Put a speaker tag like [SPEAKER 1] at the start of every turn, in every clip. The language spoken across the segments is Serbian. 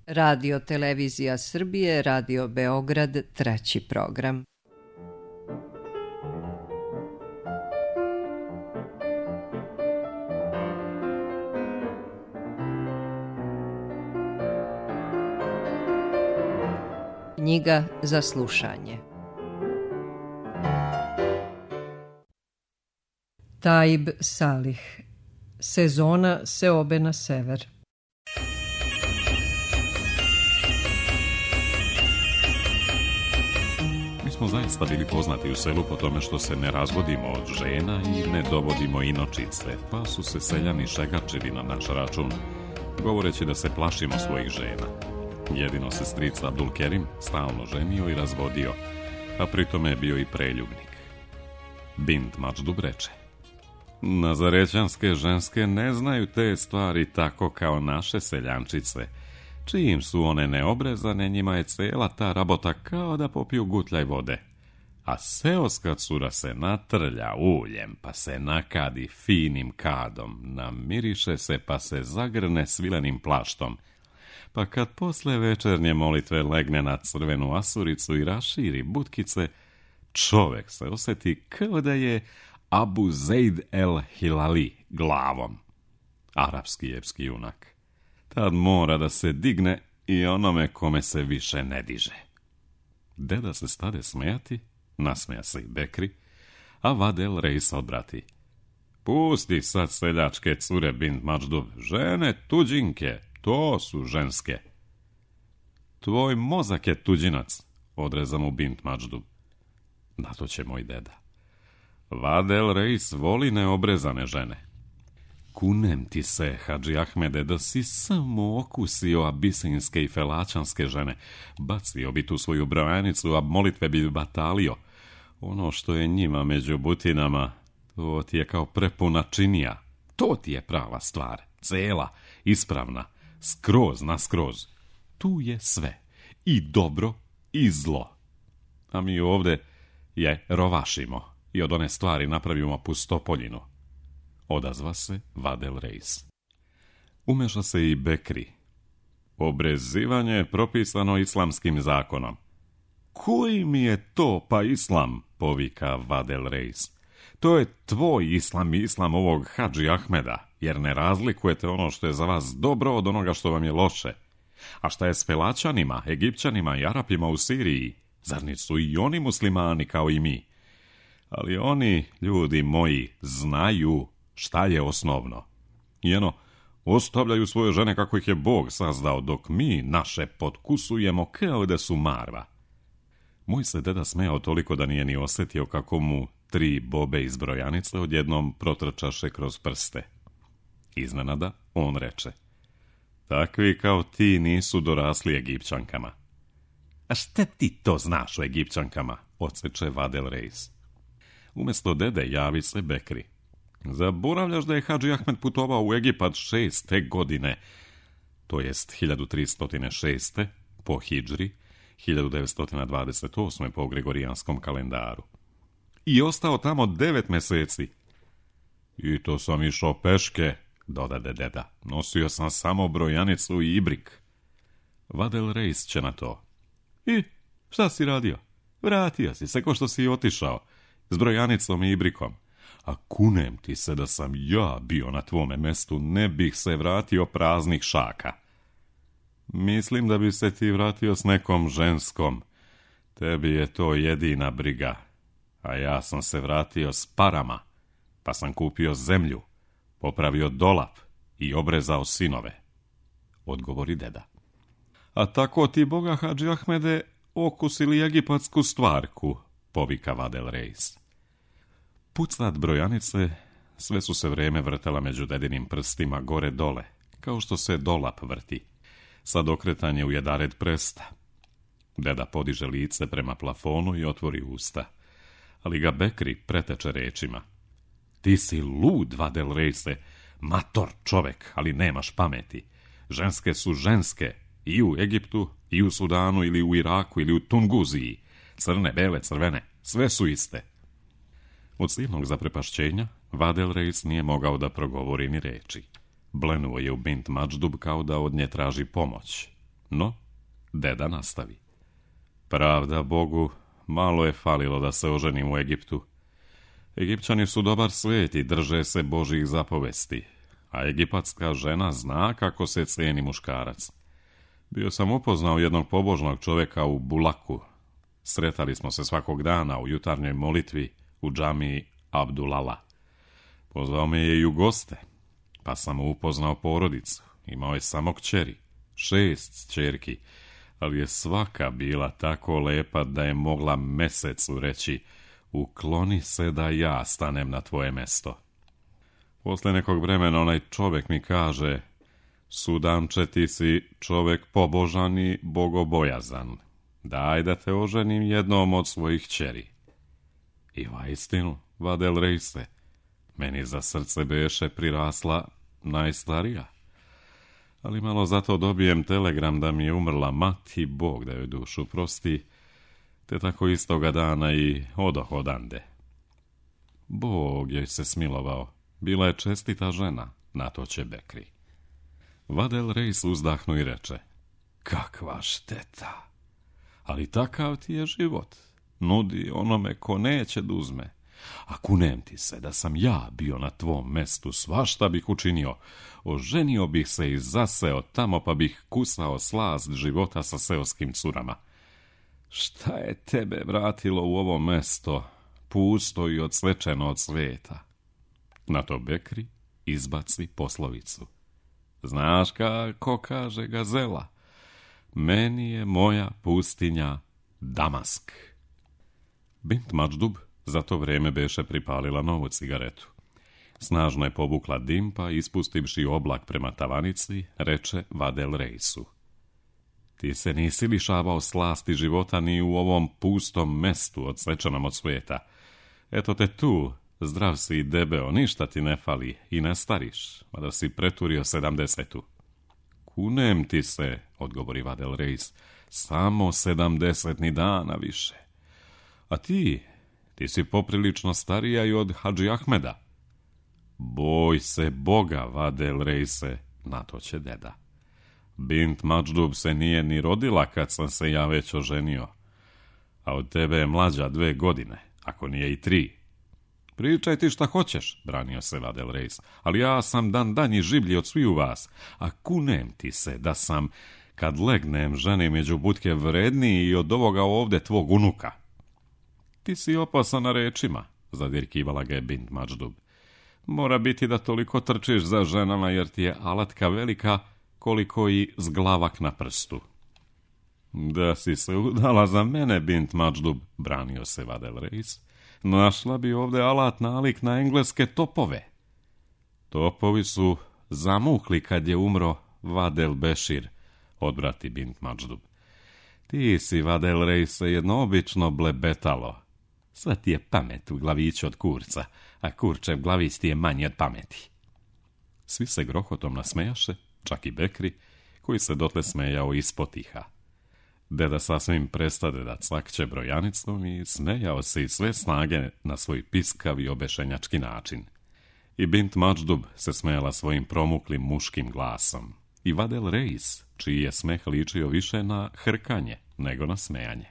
[SPEAKER 1] Radio Televizija Srbije, Radio Beograd, 3. program. Knjiga za slušanje. Taib Salih. Sezona seobe na sever.
[SPEAKER 2] Mi smo zaista bili poznati u selu po tome što se ne razvodimo od žena i ne dovodimo inočice, pa su se seljani šegačili na naš račun, govoreći da se plašimo svojih žena. Jedino se stric Abdulkerim stalno ženio i razvodio, a pritome je bio i preljubnik. Bint Mačdub reče: Nazarećanske ženske ne znaju te stvari tako kao naše seljančice. Čim su one neobrezane, njima je cela ta rabota kao da popiju gutljaj vode. A seoska cura se natrlja uljem, pa se nakadi finim kadom, namiriše se pa se zagrne svilenim plaštom. Pa kad posle večernje molitve legne na crvenu asuricu i raširi butkice, čovek se osjeti kao da je Abu Zeid el Hilali glavom. Arapski epski junak. Tad mora da se digne i onome kome se više ne diže. Deda se stade smejati, nasmeja se i Bekri, a Vadel Reis odbrati: Pusti sad seljačke cure, Bint Mačdub, žene tuđinke, to su ženske. Tvoj mozak je tuđinac, odreza mu Bint Mačdub. Na to će moj deda: Vadel Reis voli neobrezane žene. Kunem ti se, Hadži Ahmede, da si samo okusio abisinske i felačanske žene. Bacio bi tu svoju brojanicu, a molitve bi batalio. Ono što je njima među butinama, to ti je kao prepuna činija. To ti je prava stvar, cela, ispravna, skroz naskroz. Tu je sve, i dobro, i zlo. A mi ovde je rovašimo i od one stvari napravimo pustopoljinu. Odazva se Vadel Reis. Umeša se i Bekri. Obrezivanje je propisano islamskim zakonom. Koji mi je to pa islam, povika Vadel Reis. To je tvoj islam i islam ovog Hadži Ahmeda, jer ne razlikujete ono što je za vas dobro od onoga što vam je loše. A šta je s Felačanima, Egipćanima i Arapima u Siriji? Zar nisu i oni muslimani kao i mi? Ali oni, ljudi moji, znaju šta je osnovno. I ostavljaju svoje žene kako ih je Bog sazdao, dok mi naše potkusujemo kao da su marva. Moj se deda smejao toliko da nije ni osjetio kako mu 3 bobe iz brojanice odjednom protrčaše kroz prste. Iznenada on reče: Takvi kao ti nisu dorasli Egipćankama. A šta ti to znaš o Egipćankama? Odseče Vadel Reis. Umjesto dede javi se Bekri: Zaboravljaš da je Hadži Ahmed putovao u Egipat 6. godine, to jest 1306. po hidžri, 1928. po gregorijanskom kalendaru. I ostao tamo 9 meseci. I to sam išao peške, dodade deda. Nosio sam samo brojanicu i ibrik. Vadel Reis će na to: I šta si radio? Vratio si se ko što si otišao, s brojanicom i ibrikom. A kunem ti se da sam ja bio na tvome mestu, ne bih se vratio praznih šaka. Mislim da bi se ti vratio s nekom ženskom. Tebi je to jedina briga. A ja sam se vratio s parama, pa sam kupio zemlju, popravio dolap i obrezao sinove, odgovori deda. A tako ti, Boga Hadži Ahmede, okusili egipatsku stvarku, povika Vadel Reis. Pucat brojanice sve su se vreme vrtela među dedinim prstima gore dole, kao što se dolap vrti. Sad okretanje u jedared presta. Deda podiže lice prema plafonu i otvori usta, ali ga Bekri preteče rečima: Ti si lud, Vadel Reise, mator čovek, ali nemaš pameti. Ženske su ženske, i u Egiptu, i u Sudanu, ili u Iraku, ili u Tunguziji. Crne, bele, crvene, sve su iste. Od silnog zaprepašćenja Vadel Reis nije mogao da progovori ni reči. Blenuo je u Bint Mačdub kao da od nje traži pomoć. No, deda nastavi. Pravda Bogu, malo je falilo da se oženim u Egiptu. Egipćani su dobar svijet i drže se Božjih zapovesti, a egipatska žena zna kako se cijeni muškarac. Bio sam upoznao jednog pobožnog čovjeka u Bulaku. Sretali smo se svakog dana u jutarnjoj molitvi u džamiji Abdulala. Pozvao me je i u goste, pa sam mu upoznao porodicu. Imao je samo kćeri, 6 kćerki, ali je svaka bila tako lepa da je mogla mesecu reći: ukloni se da ja stanem na tvoje mesto. Posle nekog vremena onaj čovjek mi kaže: Sudanče, ti si čovjek pobožan i bogobojazan. Daj da te oženim jednom od svojih kćeri. I vaistinu, Vadel Reise, meni za srce beše prirasla najstarija. Ali malo zato dobijem telegram da mi je umrla mati, Bog da joj dušu prosti, te tako istoga dana i odoh odande. Bog joj se smilovao, bila je čestita žena, na to će Bekri. Vadel Reis uzdahnu i reče: kakva šteta, ali takav ti je život, nudi onome ko neće da uzme. A kunem ti se da sam ja bio na tvom mestu, svašta bih učinio, oženio bih se i zaseo tamo, pa bih kusao slast života sa seoskim curama. Šta je tebe vratilo u ovo mesto, pusto i odsvečeno od sveta? Na to Bekri izbaci poslovicu. Znaš kako kaže gazela? Meni je moja pustinja Damask. Bint Mačdub za to vrijeme beše pripalila novu cigaretu. Snažno je povukla dim, pa ispustivši oblak prema tavanici, reče Vadel Reisu: ti se nisi lišavao slasti života ni u ovom pustom mestu odsvečenom od svijeta. Eto te tu, zdrav si i debeo, ništa ti ne fali i ne stariš, mada si preturio 70. Kunem ti se, odgovori Vadel Reis, samo 70 ni dana više. A ti si poprilično starija i od Hadži Ahmeda. Boj se Boga, Vadel Reise, na to će deda. Bint Mačdub se nije ni rodila kad sam se ja već oženio, a od tebe je mlađa 2 godine, ako nije i 3. Pričaj ti šta hoćeš, branio se Vadel Reis, ali ja sam danji žiblji od sviju vas, a kunem ti se da sam, kad legnem žene među butke, vredniji i od ovoga ovde tvog unuka. Ti si opasan na rečima, zadirkivala ga je Bint Mačdub. Mora biti da toliko trčiš za ženama, jer ti je alatka velika koliko i zglavak na prstu. Da si se udala za mene, Bint Mačdub, branio se Vadel Reis, našla bi ovde alat nalik na engleske topove. Topovi su zamukli kad je umro Vadel Bešir, odvrati Bint Mačdub. Ti si, Vadel Reise, jedno obično blebetalo. Sve ti je pamet u glaviću od kurca, a kurčev glavić ti je manji od pameti. Svi se grohotom nasmejaše, čak i Bekri, koji se dotle smejao ispod tiha. Deda sasvim prestade da cvakće brojanicom i smejao se iz sve snage na svoj piskav i obešenjački način. I Bint Mačdub se smejala svojim promuklim muškim glasom. I Vadel Reis, čiji je smeh ličio više na hrkanje nego na smejanje.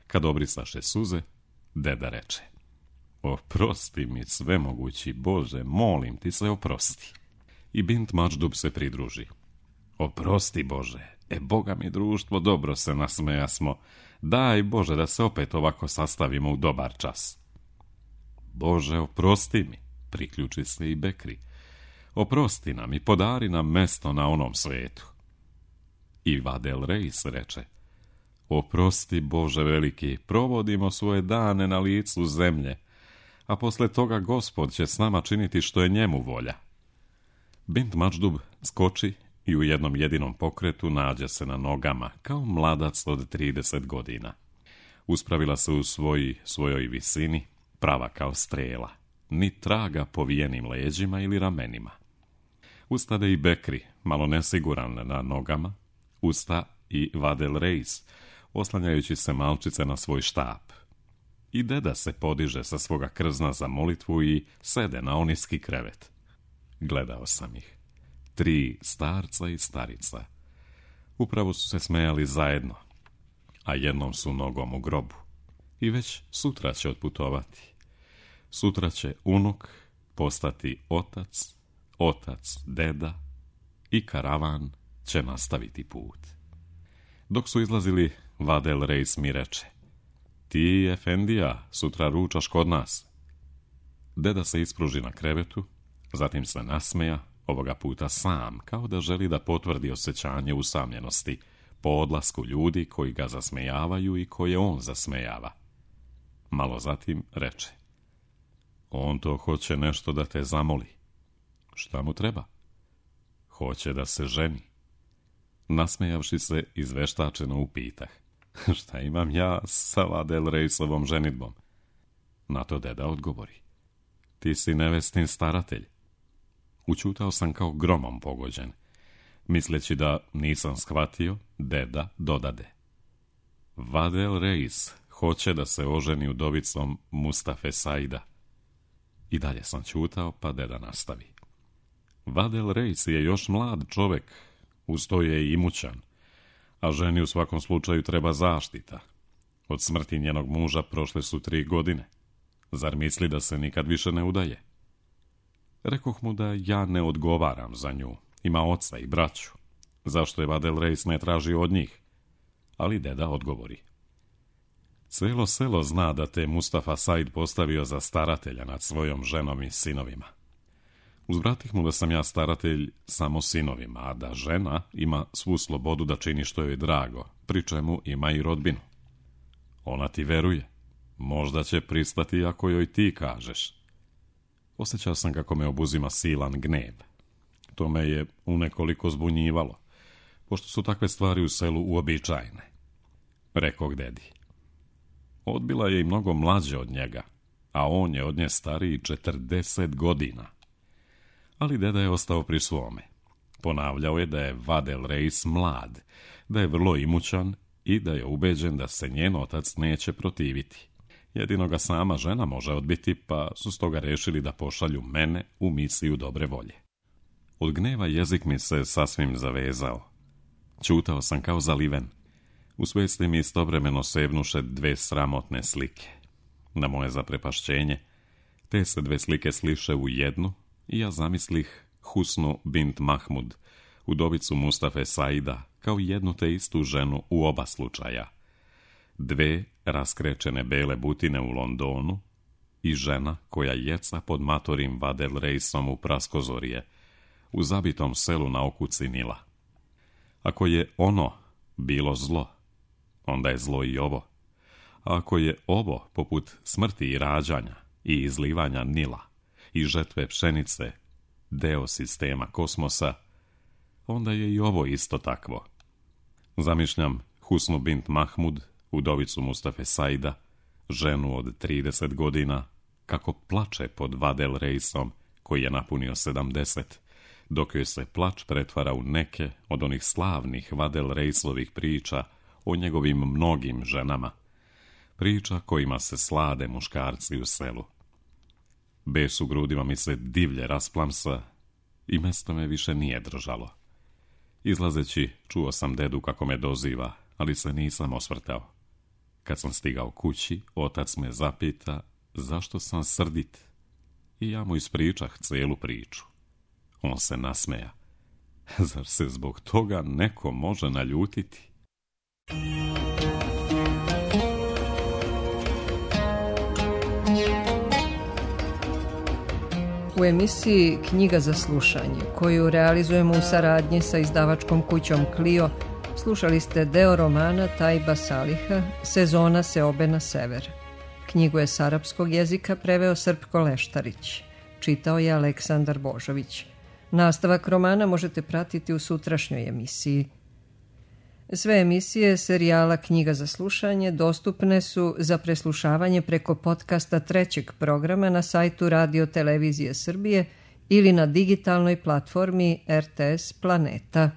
[SPEAKER 2] Kad obrisaše suze, deda reče: oprosti mi, svemogući Bože, molim ti se, oprosti. I Bint Mačdub se pridruži: oprosti Bože, Boga mi društvo, dobro se nasmejasmo, daj Bože da se opet ovako sastavimo u dobar čas. Bože, oprosti mi, priključi se i Bekri, oprosti nam i podari nam mesto na onom svetu. I Vadel Reis reče: oprosti Bože veliki, provodimo svoje dane na licu zemlje, a posle toga Gospod će s nama činiti što je njemu volja. Bint Mačdub skoči i u jednom jedinom pokretu nađe se na nogama, kao mladac od 30 godina. Uspravila se u svojoj visini, prava kao strela, ni traga povijenim leđima ili ramenima. Ustade i Bekri, malo nesiguran na nogama, usta i Vadel Reis, oslanjajući se malčice na svoj štap. I deda se podiže sa svoga krzna za molitvu i sede na oniski krevet. Gledao sam ih. 3 starca i starica. Upravo su se smejali zajedno, a jednom su nogom u grobu. I već sutra će otputovati. Sutra će unuk postati otac, otac deda i karavan će nastaviti put. Dok su izlazili, Vadel Reis mi reče: ti, efendija, sutra ručaš kod nas. Deda se ispruži na krevetu, zatim se nasmeja, ovoga puta sam, kao da želi da potvrdi osjećanje usamljenosti po odlasku ljudi koji ga zasmejavaju i koje on zasmejava. Malo zatim reče: on to hoće nešto da te zamoli. Šta mu treba? Hoće da se ženi. Nasmejavši se, izveštačeno upitah: šta imam ja sa Vadel Reisovom ženidbom? Na to deda odgovori: ti si nevestin staratelj. Učutao sam kao gromom pogođen. Misleći da nisam shvatio, deda dodade: Vadel Reis hoće da se oženi udovicom Mustafe Saida. I dalje sam ćutao, pa deda nastavi: Vadel Reis je još mlad čovek, uz to je i imućan, a ženi u svakom slučaju treba zaštita. Od smrti njenog muža prošle su 3 godine. Zar misli da se nikad više ne udaje? Rekoh mu da ja ne odgovaram za nju, ima oca i braću. Zašto je Vadel Reis ne traži od njih? Ali deda odgovori: cijelo selo zna da te Mustafa Said postavio za staratelja nad svojom ženom i sinovima. Uzvratih mu da sam ja staratelj samo sinovima, a da žena ima svu slobodu da čini što joj je drago, pri čemu ima i rodbinu. Ona ti veruje. Možda će pristati ako joj ti kažeš. Osjećao sam kako me obuzima silan gnjev. To me je unekoliko zbunjivalo, pošto su takve stvari u selu uobičajene. Rekog dedi: odbila je i mnogo mlađe od njega, a on je od nje stariji 40 godina. Ali deda je ostao pri svome. Ponavljao je da je Vadel Reis mlad, da je vrlo imućan i da je ubeđen da se njen otac neće protiviti. Jedino ga sama žena može odbiti, pa su stoga rešili da pošalju mene u misiju dobre volje. Od gneva jezik mi se sasvim zavezao. Ćutao sam kao zaliven. U svesti mi istovremeno sebnuše 2 sramotne slike. Na moje zaprepašćenje, te se 2 slike sliše u jednu i ja zamislih Husnu bint Mahmud, udovicu Mustafe Saida, kao jednu te istu ženu u oba slučaja. 2 raskrečene bele butine u Londonu i žena koja jeca pod matorim Vadel Reisom u Praskozorje, u zabitom selu na okuci Nila. Ako je ono bilo zlo, onda je zlo i ovo. A ako je ovo, poput smrti i rađanja i izlivanja Nila i žetve pšenice, deo sistema kosmosa, onda je i ovo isto takvo. Zamišljam Husnu bint Mahmud, udovicu Mustafe Saida, ženu od 30 godina, kako plače pod Vadel Reisom, koji je napunio 70, dok joj se plač pretvara u neke od onih slavnih Vadel Reisovih priča o njegovim mnogim ženama, priča kojima se slade muškarci u selu. Bes u grudima mi se divlje rasplamsa i mesto me više nije držalo. Izlazeći, čuo sam dedu kako me doziva, ali se nisam osvrtao. Kad sam stigao kući, otac me zapita zašto sam srdit i ja mu ispričah cijelu priču. On se nasmeja. Zar se zbog toga neko može naljutiti?
[SPEAKER 1] U emisiji Knjiga za slušanje, koju realizujemo u saradnji sa izdavačkom kućom Clio, slušali ste deo romana Tajba Saliha Sezona seobe na sever. Knjigu je s arapskog jezika preveo Srpko Leštarić. Čitao je Aleksandar Božović. Nastavak romana možete pratiti u sutrašnjoj emisiji. Sve emisije serijala Knjiga za slušanje dostupne su za preslušavanje preko podcasta 3. programa na sajtu Radio Televizije Srbije ili na digitalnoj platformi RTS Planeta.